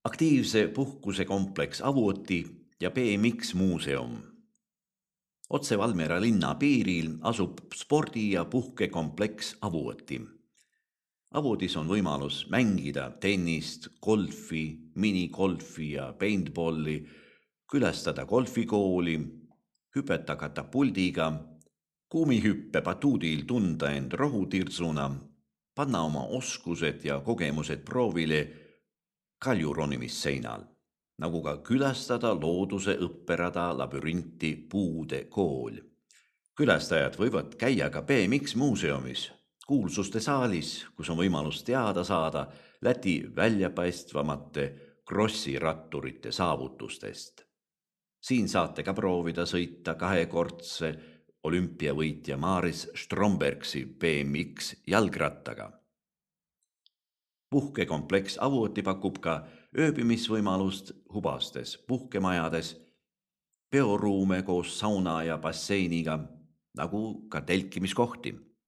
Aktiivse puhkuse kompleks Avuoti ja BMX muuseum. Otse Valmiera linna piiril asub spordi- ja puhkekompleks Avuoti. Avutis on võimalus mängida tennist, golfi, minigolfi ja paintballi, külastada golfikooli, hüpeta katapuldiga, kuumihüppe batuudil tunda end rohutirsuna, panna oma oskused ja kogemused proovile kaljuronimisseinal, nagu ka külastada looduse õpperada labürinti Puude kool. Külastajad võivad käia ka BMX muuseumis, kuulsuste saalis, kus on võimalus teada saada Läti väljapaistvamate krossiratturite saavutustest. Siin saate ka proovida sõita kahekordse olümpiavõitja Maris Strombergsi BMX jalgrattaga. Puhkekompleks Avuoti pakub ka ööbimisvõimalust hubastes puhkemajades, peoruume koos sauna ja basseiniga, nagu ka telkimiskohti.